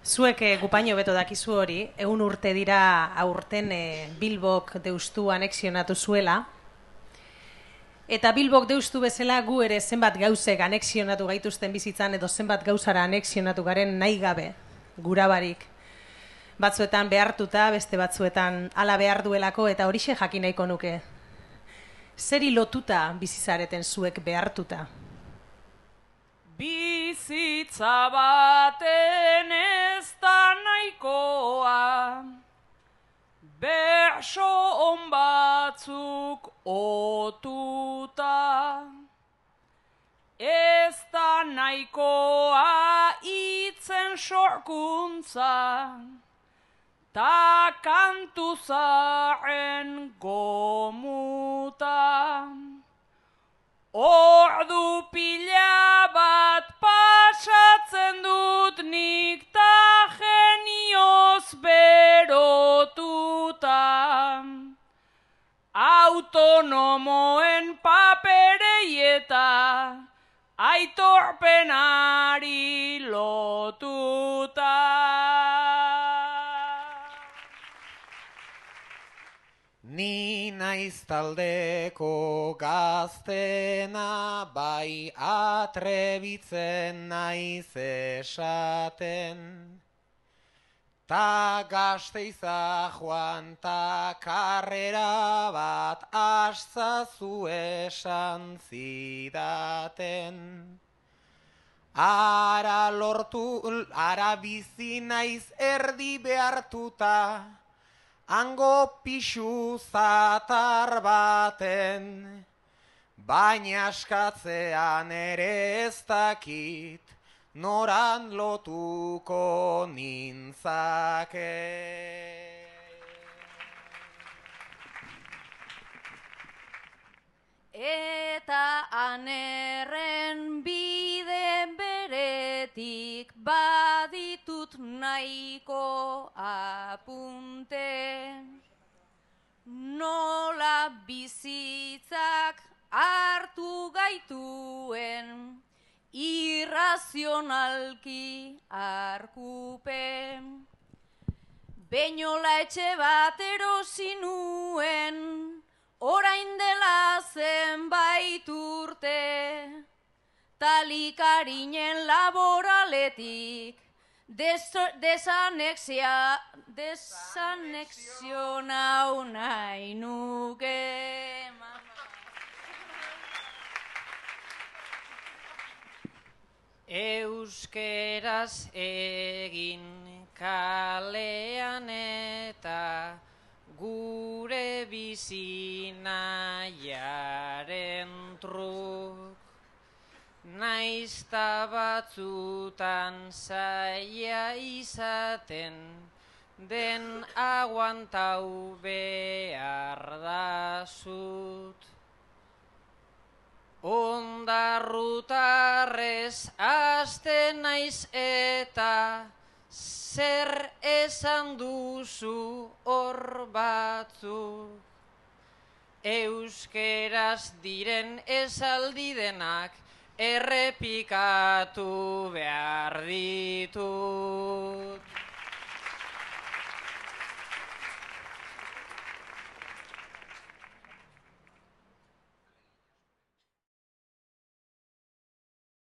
Zuek gupaino beto dakizu hori, 100 urte dira aurten Bilbok deustu anexionatu zuela, eta Bilbok deustu bezala gu ere zenbat gauzek anexionatu gaituzten bizitzan edo zenbat gauzara anexionatu garen nahi gabe, gurabarik. Batzuetan behartuta, beste batzuetan hala behar duelako eta horixe jakin nahiko nuke. Zeri lotuta bizizareten zuek behartuta? Bizitza baten ez da nahikoa, berso on batzuk otuta. Ez da nahikoa itzen sorkuntza, ta kantu zaren gomuta. Ordu pila bat pasatzen dut nik ta genioz berotuta. Autonomoen paperei eta aitorpenari lotuta. Ni naiz taldeko gaztena, bai atrebitzen naiz esaten. Ta Gasteiza joan ta karrera bat astazu esan zidaten. Ara bizi naiz erdi behartuta, hango pixu zatar baten, baina askatzean ere ez dakit, noran lotuko nintzake. Eta anerren bide beretik baditut nahiko apunte. Nola bizitzak hartu gaituen irrazionalki arkupen. Beinola etxe bat erosi nuen, orain dela zenbait urte, talikarinen laboraletik desanexionau nahi nuke. Euskeraz egin kalean eta gure bizinaiaren truk, naizta batzutan zaila izaten, den aguantau behar da zut. Ondarrutarrez aste naiz eta zer esan duzu hor batzuk. Euskeraz diren esaldi denak errepikatu behar ditu.